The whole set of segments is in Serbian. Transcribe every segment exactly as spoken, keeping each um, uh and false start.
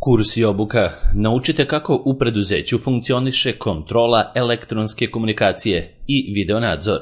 Kurs i obuka. Naučite kako u preduzeću funkcioniše kontrola elektronske komunikacije i videonadzor.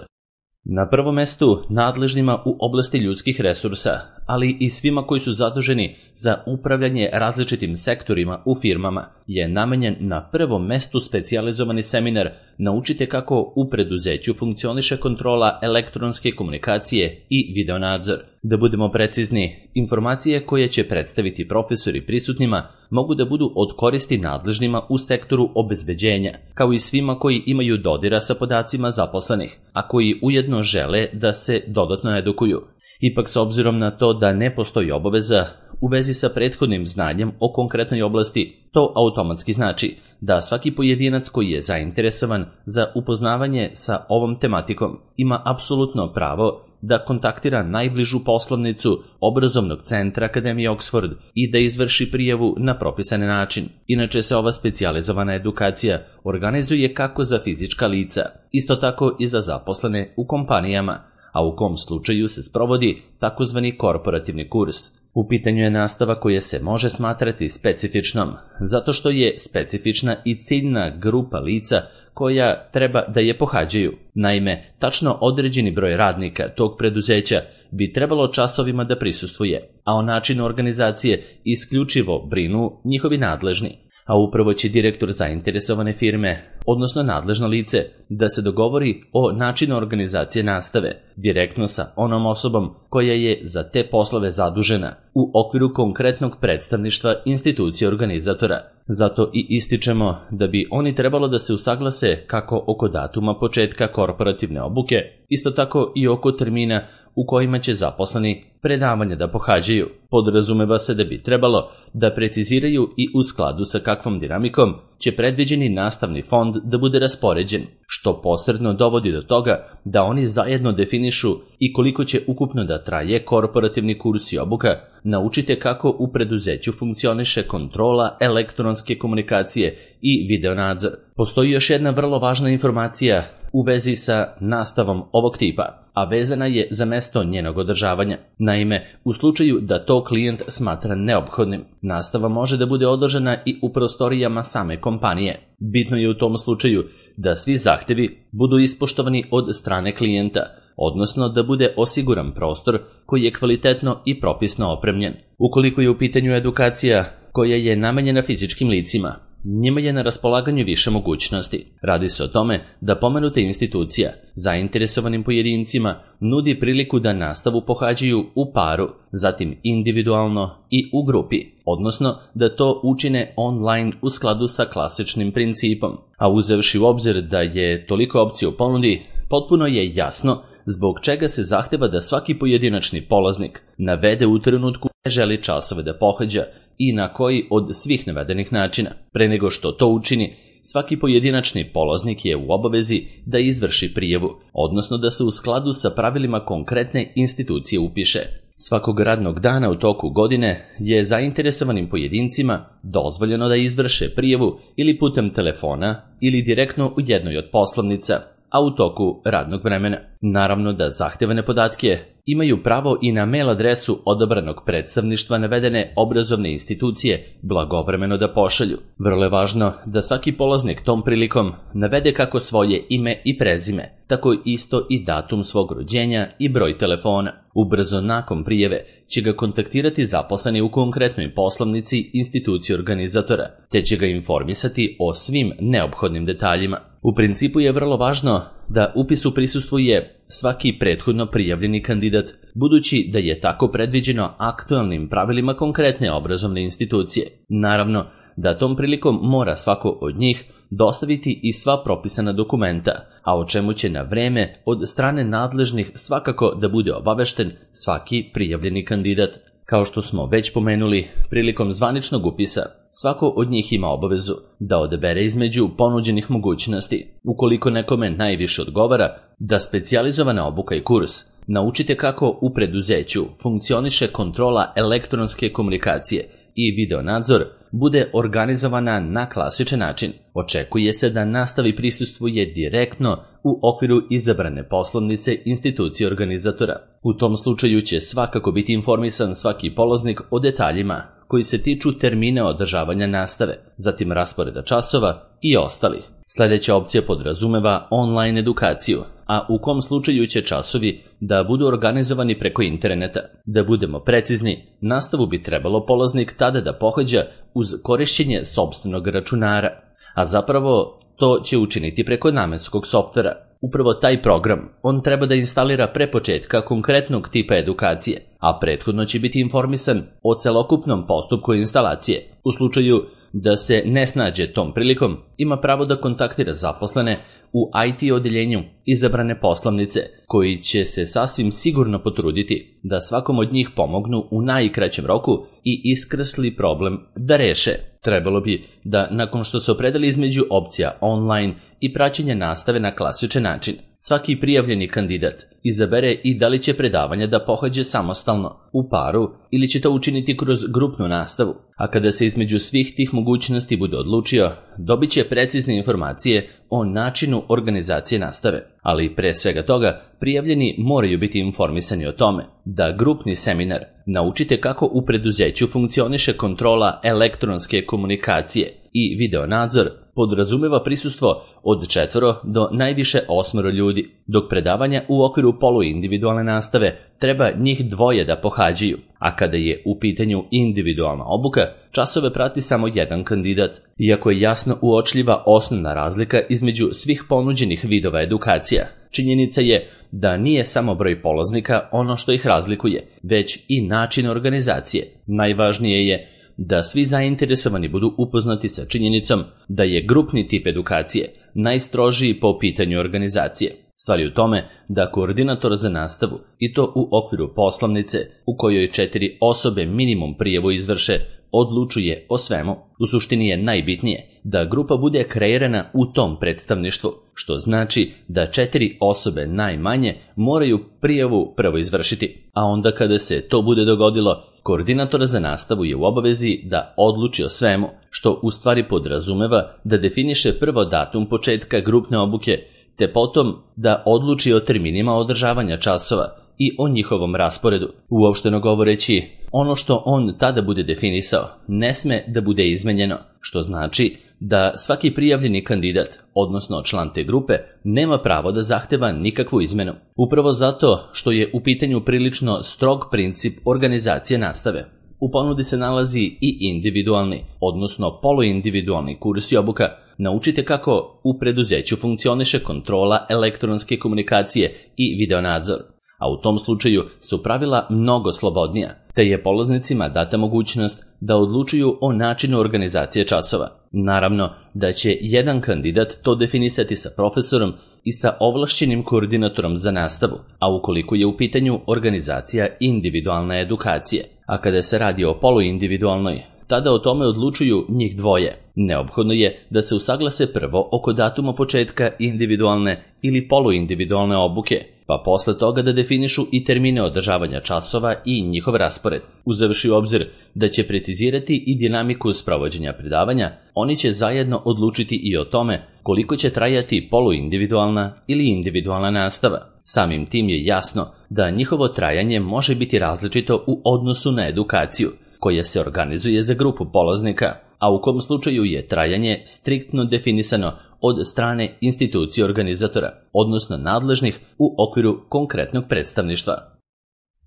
Na prvom mestu nadležnima u oblasti ljudskih resursa, ali i svima koji su zaduženi za upravljanje različitim sektorima u firmama, je namenjen na prvom mestu specijalizovani seminar Naučite kako u preduzeću funkcioniše kontrola elektronske komunikacije i videonadzor. Da budemo precizni, informacije koje će predstaviti profesori prisutnima mogu da budu od koristi nadležnima u sektoru obezbeđenja, kao i svima koji imaju dodira sa podacima zaposlenih, a koji ujedno žele da se dodatno edukuju. Ipak, s obzirom na to da ne postoji obaveza u vezi sa prethodnim znanjem o konkretnoj oblasti, to automatski znači da svaki pojedinac koji je zainteresovan za upoznavanje sa ovom tematikom ima apsolutno pravo da kontaktira najbližu poslovnicu obrazovnog centra Akademije Oxford i da izvrši prijavu na propisani način. Inače se ova specijalizovana edukacija organizuje kako za fizička lica, isto tako i za zaposlene u kompanijama, a u kom slučaju se sprovodi takozvani korporativni kurs. U pitanju je nastava koja se može smatrati specifičnom, zato što je specifična i ciljna grupa lica koja treba da je pohađaju. Naime, tačno određeni broj radnika tog preduzeća bi trebalo časovima da prisustvuje, a o načinu organizacije isključivo brinu njihovi nadležni. A upravo će direktor zainteresovane firme, odnosno nadležno lice, da se dogovori o načinu organizacije nastave, direktno sa onom osobom koja je za te poslove zadužena u okviru konkretnog predstavništva institucije organizatora. Zato i ističemo da bi oni trebalo da se usaglase kako oko datuma početka korporativne obuke, isto tako i oko termina u kojima će zaposleni predavanja da pohađaju. Podrazumeva se da bi trebalo da preciziraju i u skladu sa kakvom dinamikom će predviđeni nastavni fond da bude raspoređen, što posredno dovodi do toga da oni zajedno definišu i koliko će ukupno da traje korporativni kurs i obuka. Naučite kako u preduzeću funkcioniše kontrola elektronske komunikacije i videonadzor. Postoji još jedna vrlo važna informacija u vezi sa nastavom ovog tipa, a vezana je za mesto njenog održavanja. Naime, u slučaju da to klijent smatra neophodnim, nastava može da bude održana i u prostorijama same kompanije. Bitno je u tom slučaju da svi zahtevi budu ispoštovani od strane klijenta, odnosno da bude osiguran prostor koji je kvalitetno i propisno opremljen. Ukoliko je u pitanju edukacija koja je namenjena fizičkim licima, njima je na raspolaganju više mogućnosti. Radi se o tome da pomenuta institucija zainteresovanim pojedincima nudi priliku da nastavu pohađaju u paru, zatim individualno i u grupi, odnosno da to učine online u skladu sa klasičnim principom. A uzevši u obzir da je toliko opcija u ponudi, potpuno je jasno zbog čega se zahteva da svaki pojedinačni polaznik navede u trenutku ne želi časove da pohađa i na koji od svih navedenih načina. Pre nego što to učini, svaki pojedinačni polaznik je u obavezi da izvrši prijavu, odnosno da se u skladu sa pravilima konkretne institucije upiše. Svakog radnog dana u toku godine je zainteresovanim pojedincima dozvoljeno da izvrše prijavu ili putem telefona ili direktno u jednoj od poslovnica, a u toku radnog vremena. Naravno da zahtevane podatke imaju pravo i na mail adresu odabranog predstavništva navedene obrazovne institucije blagovremeno da pošalju. Vrlo je važno da svaki polaznik tom prilikom navede kako svoje ime i prezime, tako isto i datum svog rođenja i broj telefona. Ubrzo nakon prijave će ga kontaktirati zaposleni u konkretnoj poslovnici institucije organizatora, te će ga informisati o svim neophodnim detaljima. U principu je vrlo važno da upisu prisustvuje svaki prethodno prijavljeni kandidat, budući da je tako predviđeno aktualnim pravilima konkretne obrazovne institucije. Naravno da tom prilikom mora svako od njih dostaviti i sva propisana dokumenta, a o čemu će na vreme od strane nadležnih svakako da bude obavešten svaki prijavljeni kandidat. Kao što smo već pomenuli, prilikom zvaničnog upisa, svako od njih ima obavezu da odabere između ponuđenih mogućnosti. Ukoliko nekome najviše odgovara da specijalizovana obuka i kurs Naučite kako u preduzeću funkcioniše kontrola elektronske komunikacije i videonadzor bude organizovana na klasičan način. Očekuje se da nastavi prisustvuje direktno u okviru izabrane poslovnice institucije organizatora. U tom slučaju će svakako biti informisan svaki polaznik o detaljima koji se tiču termina održavanja nastave, zatim rasporeda časova i ostalih. Sljedeća opcija podrazumeva online edukaciju, a u kom slučaju će časovi da budu organizovani preko interneta. Da budemo precizni, nastavu bi trebalo polaznik tada da pohađa uz korišćenje sopstvenog računara, a zapravo to će učiniti preko namenskog softvera. Upravo taj program on treba da instalira pre početka konkretnog tipa edukacije, a prethodno će biti informisan o celokupnom postupku instalacije. U slučaju da se ne snađe tom prilikom, ima pravo da kontaktira zaposlene u I T odeljenju izabrane poslovnice, koji će se sasvim sigurno potruditi da svakom od njih pomognu u najkraćem roku i iskrsli problem da reše. Trebalo bi da, nakon što se opredeli između opcija online i praćenja nastave na klasičan način, svaki prijavljeni kandidat izabere i da li će predavanja da pohađe samostalno, u paru ili će to učiniti kroz grupnu nastavu. A kada se između svih tih mogućnosti bude odlučio, dobit će precizne informacije o načinu organizacije nastave. Ali pre svega toga, prijavljeni moraju biti informisani o tome da grupni seminar Naučite kako u preduzeću funkcioniše kontrola elektronske komunikacije i videonadzor podrazumeva prisustvo od četvoro do najviše osmoro ljudi, dok predavanja u okviru poluindividualne nastave treba njih dvoje da pohađaju, a kada je u pitanju individualna obuka, časove prati samo jedan kandidat. Iako je jasno uočljiva osnovna razlika između svih ponuđenih vidova edukacija, činjenica je da nije samo broj polaznika ono što ih razlikuje, već i način organizacije. Najvažnije je da svi zainteresovani budu upoznati sa činjenicom da je grupni tip edukacije najstrožiji po pitanju organizacije. Stvar je u tome da koordinator za nastavu, i to u okviru poslovnice u kojoj četiri osobe minimum prijavu izvrše, odlučuje o svemu. U suštini je najbitnije da grupa bude kreirana u tom predstavništvu, što znači da četiri osobe najmanje moraju prijavu prvo izvršiti, a onda kada se to bude dogodilo, koordinator za nastavu je u obavezi da odluči o svemu, što u stvari podrazumeva da definiše prvo datum početka grupne obuke, te potom da odluči o terminima održavanja časova i o njihovom rasporedu. Uopšteno govoreći, ono što on tada bude definisao ne sme da bude izmenjeno, što znači da svaki prijavljeni kandidat, odnosno član te grupe, nema pravo da zahteva nikakvu izmenu. Upravo zato što je u pitanju prilično strog princip organizacije nastave. U ponudi se nalazi i individualni, odnosno poluindividualni kurs i obuka Naučite kako u preduzeću funkcioniše kontrola elektronske komunikacije i videonadzor, a u tom slučaju su pravila mnogo slobodnija, te je polaznicima data mogućnost da odlučuju o načinu organizacije časova. Naravno da će jedan kandidat to definisati sa profesorom i sa ovlašćenim koordinatorom za nastavu, a ukoliko je u pitanju organizacija individualne edukacije, a kada se radi o poluindividualnoj, tada o tome odlučuju njih dvoje. Neophodno je da se usaglase prvo oko datuma početka individualne ili poluindividualne obuke, pa posle toga da definišu i termine održavanja časova i njihov raspored. Uzevši u obzir da će precizirati i dinamiku sprovođenja predavanja, oni će zajedno odlučiti i o tome koliko će trajati poluindividualna ili individualna nastava. Samim tim je jasno da njihovo trajanje može biti različito u odnosu na edukaciju, koja se organizuje za grupu polaznika, a u kom slučaju je trajanje striktno definisano od strane institucije organizatora, odnosno nadležnih u okviru konkretnog predstavništva.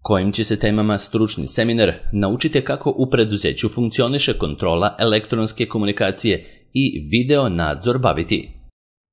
Kojim će se temama stručni seminar Naučite kako u preduzeću funkcioniše kontrola elektronske komunikacije i video nadzor baviti?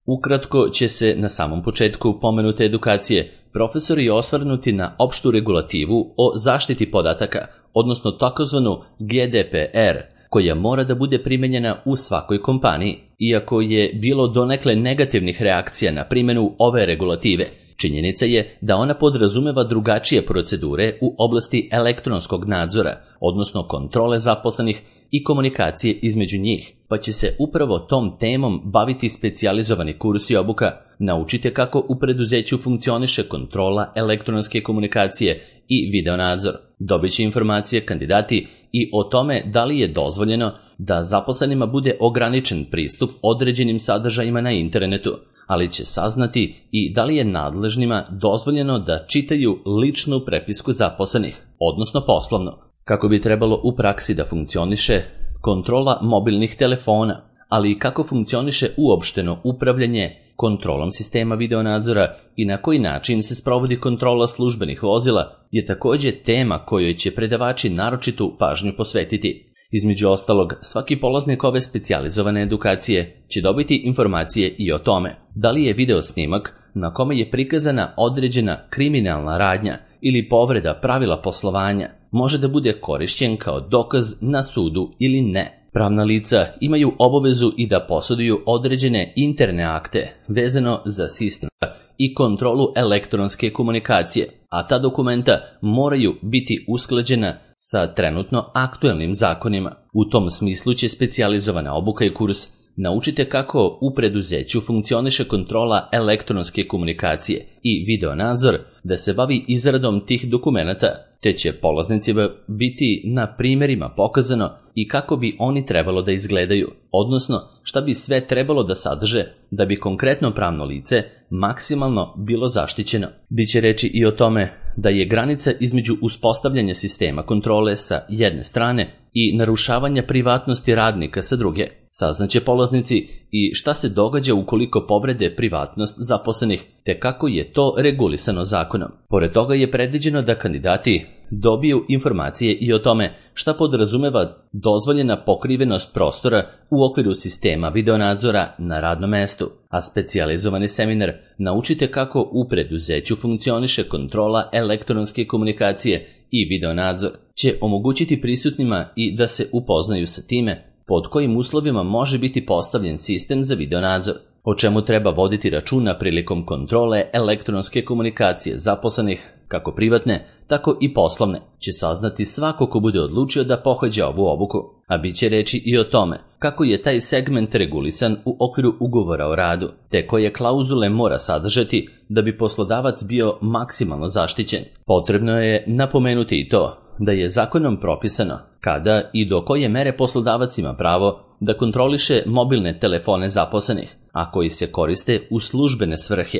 Ukratko će se na samom početku pomenute edukacije profesori osvrnuti na opštu regulativu o zaštiti podataka, odnosno takozvanu G D P R, koja mora da bude primenjena u svakoj kompaniji. Iako je bilo donekle negativnih reakcija na primjenu ove regulative, činjenica je da ona podrazumeva drugačije procedure u oblasti elektronskog nadzora, odnosno kontrole zaposlenih i komunikacije između njih, pa će se upravo tom temom baviti specijalizovani kurs i obuka Naučite kako u preduzeću funkcioniše kontrola elektronske komunikacije i videonadzor. Dobit će informacije kandidati i o tome da li je dozvoljeno da zaposlenima bude ograničen pristup određenim sadržajima na internetu, ali će saznati i da li je nadležnima dozvoljeno da čitaju ličnu prepisku zaposlenih, odnosno poslovno. Kako bi trebalo u praksi da funkcioniše kontrola mobilnih telefona, ali i kako funkcioniše uopšteno upravljanje kontrolom sistema videonadzora i na koji način se sprovodi kontrola službenih vozila, je takođe tema kojoj će predavači naročitu pažnju posvetiti. Između ostalog, svaki polaznik ove specijalizovane edukacije će dobiti informacije i o tome da li je video snimak na kome je prikazana određena kriminalna radnja ili povreda pravila poslovanja može da bude korišćen kao dokaz na sudu ili ne. Pravna lica imaju obavezu i da posjeduju određene interne akte vezano za sistem i kontrolu elektronske komunikacije, a ta dokumenta moraju biti usklađena sa trenutno aktuelnim zakonima. U tom smislu će specijalizovana obuka i kurs naučite kako u preduzeću funkcioniše kontrola elektronske komunikacije i videonadzor, da se bavi izradom tih dokumenata, te će polaznicima biti na primjerima pokazano i kako bi oni trebalo da izgledaju, odnosno šta bi sve trebalo da sadrže da bi konkretno pravno lice maksimalno bilo zaštićeno. Biće reći i o tome da je granica između uspostavljanja sistema kontrole sa jedne strane i narušavanja privatnosti radnika sa druge. Saznaće polaznici i šta se događa ukoliko povrede privatnost zaposlenih, te kako je to regulisano zakonom. Pored toga je predviđeno da kandidati dobiju informacije i o tome šta podrazumeva dozvoljena pokrivenost prostora u okviru sistema videonadzora na radnom mestu, a specijalizovani seminar naučite kako u preduzeću funkcioniše kontrola elektronske komunikacije i videonadzor će omogućiti prisutnima i da se upoznaju sa time pod kojim uslovima može biti postavljen sistem za videonadzor, o čemu treba voditi računa prilikom kontrole elektronske komunikacije zaposlenih, kako privatne, tako i poslovne, će saznati svako ko bude odlučio da pohađa ovu obuku, a bit će reći i o tome kako je taj segment regulisan u okviru ugovora o radu, te koje klauzule mora sadržati da bi poslodavac bio maksimalno zaštićen. Potrebno je napomenuti i to da je zakonom propisano kada i do koje mere poslodavac ima pravo da kontroliše mobilne telefone zaposlenih, a koji se koriste u službene svrhe.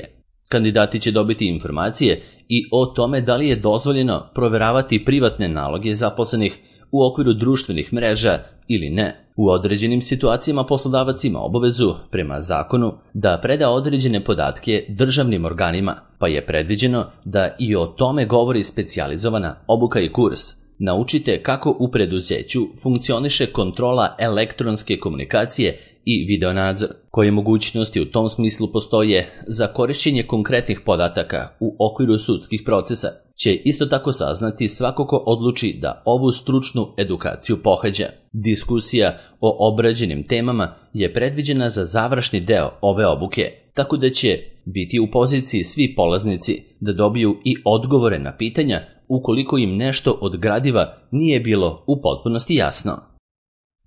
Kandidati će dobiti informacije i o tome da li je dozvoljeno proveravati privatne naloge zaposlenih u okviru društvenih mreža ili ne. U određenim situacijama poslodavac ima obavezu, prema zakonu, da preda određene podatke državnim organima, pa je predviđeno da i o tome govori specijalizovana obuka i kurs. Naučite kako u preduzeću funkcioniše kontrola elektronske komunikacije i videonadzor, koje mogućnosti u tom smislu postoje za korišćenje konkretnih podataka u okviru sudskih procesa, će isto tako saznati svako ko odluči da ovu stručnu edukaciju pohađa. Diskusija o obrađenim temama je predviđena za završni deo ove obuke, tako da će biti u poziciji svi polaznici da dobiju i odgovore na pitanja ukoliko im nešto od gradiva nije bilo u potpunosti jasno.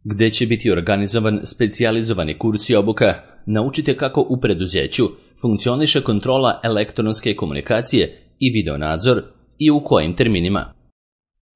Gde će biti organizovan specijalizovani kurs i obuka, naučite kako u preduzeću funkcioniše kontrola elektronske komunikacije i videonadzor i u kojim terminima.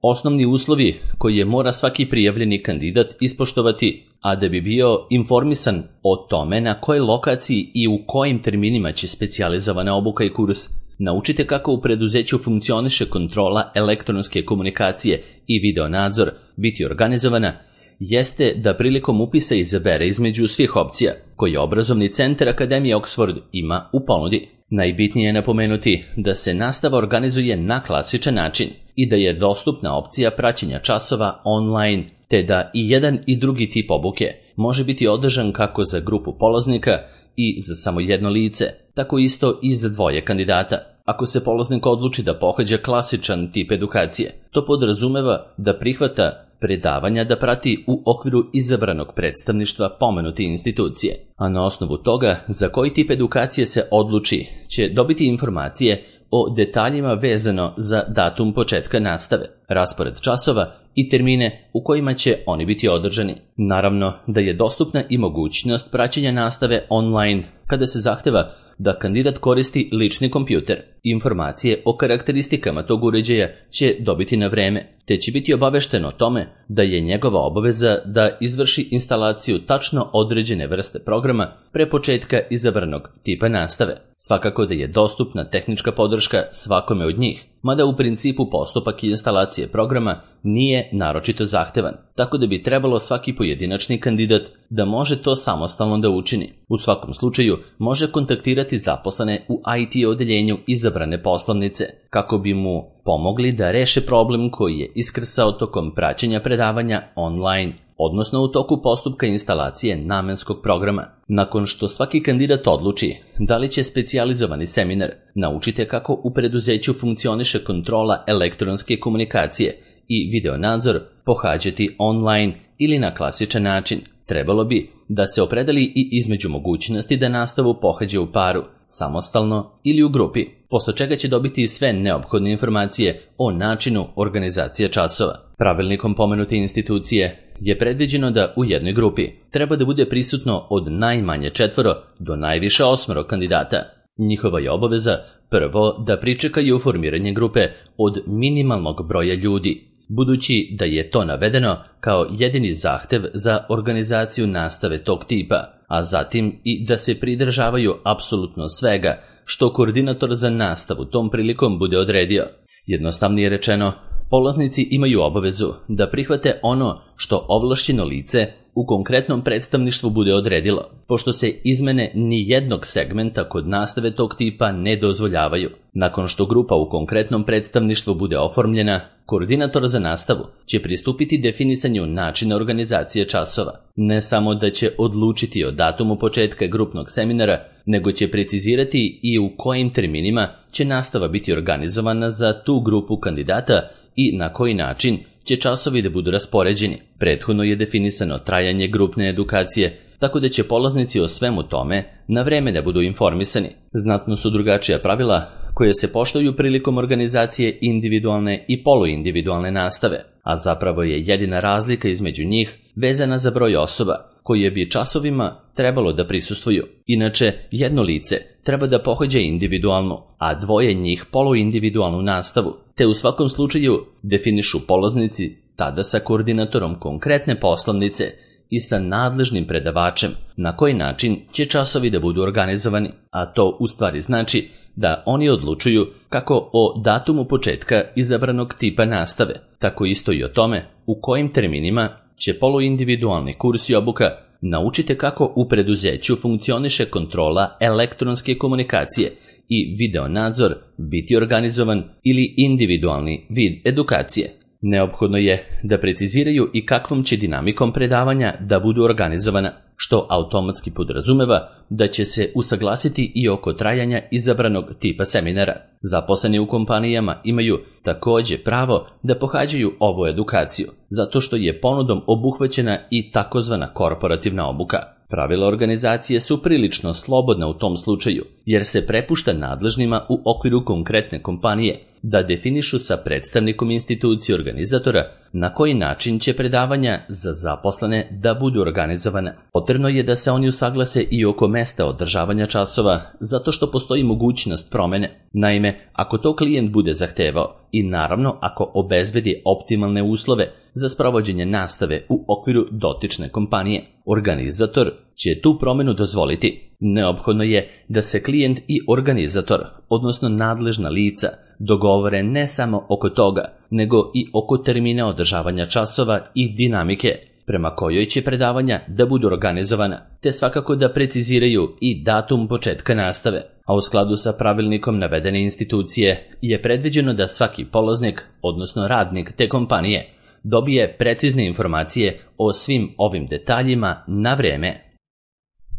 Osnovni uslovi koje mora svaki prijavljeni kandidat ispoštovati, a da bi bio informisan o tome na kojoj lokaciji i u kojim terminima će specijalizovana obuka i kurs, naučite kako u preduzeću funkcioniše kontrola elektronske komunikacije i videonadzor biti organizovana, jeste da prilikom upisa izabere između svih opcija koje obrazovni centar Akademije Oxford ima u ponudi. Najbitnije je napomenuti da se nastava organizuje na klasičan način i da je dostupna opcija praćenja časova online, te da i jedan i drugi tip obuke može biti održan kako za grupu polaznika i za samo jedno lice, tako isto i za dvoje kandidata. Ako se polaznik odluči da pohađa klasičan tip edukacije, to podrazumeva da prihvata predavanja da prati u okviru izabranog predstavništva pomenute institucije, a na osnovu toga za koji tip edukacije se odluči će dobiti informacije o detaljima vezano za datum početka nastave, raspored časova i termine u kojima će oni biti održani. Naravno da je dostupna i mogućnost praćenja nastave online kada se zahteva da kandidat koristi lični kompjuter. Informacije o karakteristikama tog uređaja će dobiti na vreme, te će biti obavešteno o tome da je njegova obaveza da izvrši instalaciju tačno određene vrste programa pre početka izabranog tipa nastave. Svakako da je dostupna tehnička podrška svakome od njih, mada u principu postupak instalacije programa nije naročito zahtevan, tako da bi trebalo svaki pojedinačni kandidat da može to samostalno da učini. U svakom slučaju može kontaktirati zaposlene u I T odeljenju izabrane poslovnice, kako bi mu pomogli da reše problem koji je iskrsao tokom praćenja predavanja online, odnosno u toku postupka instalacije namenskog programa. Nakon što svaki kandidat odluči da li će specijalizovani seminar Naučite kako u preduzeću funkcioniše kontrola elektronske komunikacije i video nadzor pohađati online ili na klasičan način, trebalo bi da se opredeli i između mogućnosti da nastavu pohađa u paru, samostalno ili u grupi, posle čega će dobiti sve neophodne informacije o načinu organizacije časova. Pravilnikom pomenute institucije je predviđeno da u jednoj grupi treba da bude prisutno od najmanje četvoro do najviše osmoro kandidata. Njihova je obaveza prvo da pričekaju formiranje grupe od minimalnog broja ljudi, budući da je to navedeno kao jedini zahtev za organizaciju nastave tog tipa, a zatim i da se pridržavaju apsolutno svega što koordinator za nastavu tom prilikom bude odredio. Jednostavnije rečeno, polaznici imaju obavezu da prihvate ono što ovlašćeno lice u konkretnom predstavništvu bude odredilo, pošto se izmene ni jednog segmenta kod nastave tog tipa ne dozvoljavaju. Nakon što grupa u konkretnom predstavništvu bude oformljena, koordinator za nastavu će pristupiti definisanju načina organizacije časova. Ne samo da će odlučiti o datumu početka grupnog seminara, nego će precizirati i u kojim terminima će nastava biti organizovana za tu grupu kandidata i na koji način će časovi da budu raspoređeni. Prethodno je definisano trajanje grupne edukacije, tako da će polaznici o svemu tome na vreme da budu informisani. Znatno su drugačija pravila koje se poštuju prilikom organizacije individualne i poluindividualne nastave, a zapravo je jedina razlika između njih vezana za broj osoba koje bi časovima trebalo da prisustvuju. Inače, jedno lice treba da pohađa individualnu, a dvoje njih poluindividualnu nastavu, te u svakom slučaju definišu polaznici tada sa koordinatorom konkretne poslovnice i sa nadležnim predavačem na koji način će časovi da budu organizovani, a to u stvari znači da oni odlučuju kako o datumu početka izabranog tipa nastave, tako isto i o tome u kojim terminima će poluindividualni kurs i obuka Naučite kako u preduzeću funkcioniše kontrola elektronske komunikacije i video nadzor biti organizovan ili individualni vid edukacije. Neophodno je da preciziraju i kakvom će dinamikom predavanja da budu organizovana, što automatski podrazumeva da će se usaglasiti i oko trajanja izabranog tipa seminara. Zaposleni u kompanijama imaju takođe pravo da pohađaju ovu edukaciju, zato što je ponudom obuhvaćena i takozvana korporativna obuka. Pravila organizacije su prilično slobodna u tom slučaju, jer se prepušta nadležnima u okviru konkretne kompanije da definišu sa predstavnikom institucije organizatora na koji način će predavanja za zaposlene da budu organizovane. Potrebno je da se oni usaglase i oko mesta održavanja časova, zato što postoji mogućnost promene. Naime, ako to klijent bude zahtevao i naravno ako obezbedi optimalne uslove za sprovođenje nastave u okviru dotične kompanije, organizator će tu promenu dozvoliti. Neophodno je da se klijent i organizator, odnosno nadležna lica, dogovore ne samo oko toga, nego i oko termina održavanja časova i dinamike prema kojoj će predavanja da budu organizovana, te svakako da preciziraju i datum početka nastave. A u skladu sa pravilnikom navedene institucije je predviđeno da svaki polaznik, odnosno radnik te kompanije, dobije precizne informacije o svim ovim detaljima na vreme.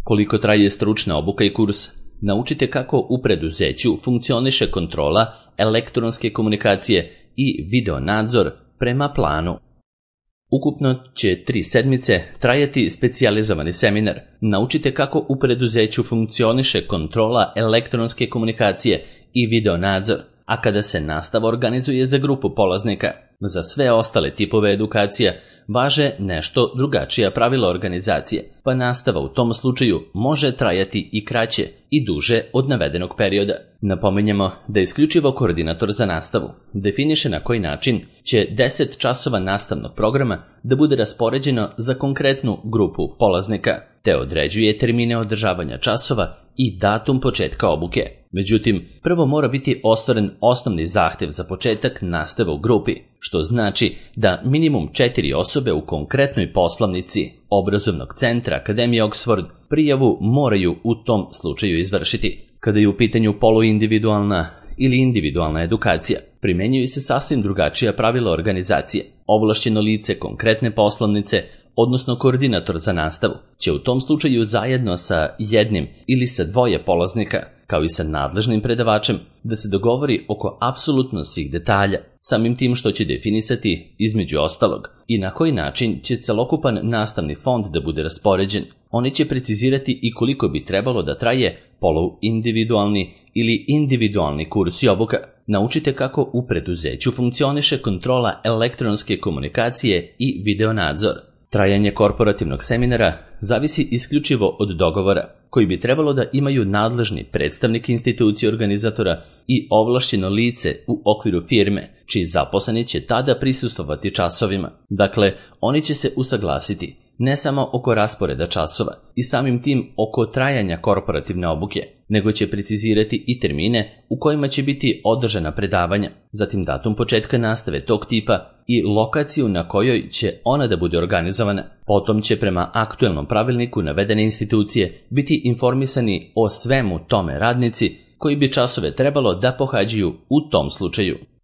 Koliko traje stručna obuka i kurs? Naučite kako u preduzeću funkcioniše kontrola elektronske komunikacije i video nadzor prema planu. Ukupno će tri sedmice trajati specijalizovani seminar. Naučite kako u preduzeću funkcioniše kontrola elektronske komunikacije i video nadzor, a kada se nastava organizuje za grupu polaznika. Za sve ostale tipove edukacija važe nešto drugačija pravila organizacije, pa nastava u tom slučaju može trajati i kraće i duže od navedenog perioda. Napominjemo da isključivo koordinator za nastavu definiše na koji način će deset časova nastavnog programa da bude raspoređeno za konkretnu grupu polaznika, te određuje termine održavanja časova i datum početka obuke. Međutim, prvo mora biti ostvaren osnovni zahtev za početak nastave u grupi, što znači da minimum četiri osobe u konkretnoj poslovnici obrazovnog centra Akademije Oxford prijavu moraju u tom slučaju izvršiti. Kada je u pitanju poluindividualna ili individualna edukacija, primenjuju se sasvim drugačija pravila organizacije. Ovlašćeno lice konkretne poslovnice, odnosno koordinator za nastavu, će u tom slučaju zajedno sa jednim ili sa dvoje polaznika, kao i sa nadležnim predavačem, da se dogovori oko apsolutno svih detalja, samim tim što će definisati, između ostalog, i na koji način će celokupan nastavni fond da bude raspoređen. Oni će precizirati i koliko bi trebalo da traje poluindividualni ili individualni kurs i obuka. Naučite kako u preduzeću funkcioniše kontrola elektronske komunikacije i videonadzor. Trajanje korporativnog seminara zavisi isključivo od dogovora, koji bi trebalo da imaju nadležni predstavnik institucije organizatora i ovlašćeno lice u okviru firme, čiji zaposleni će tada prisustvovati časovima. Dakle, oni će se usaglasiti ne samo oko rasporeda časova i samim tim oko trajanja korporativne obuke, nego će precizirati i termine u kojima će biti održana predavanja, zatim datum početka nastave tog tipa i lokaciju na kojoj će ona da bude organizovana. Potom će prema aktuelnom pravilniku navedene institucije biti informisani o svemu tome radnici koji bi časove trebalo da pohađaju u tom slučaju.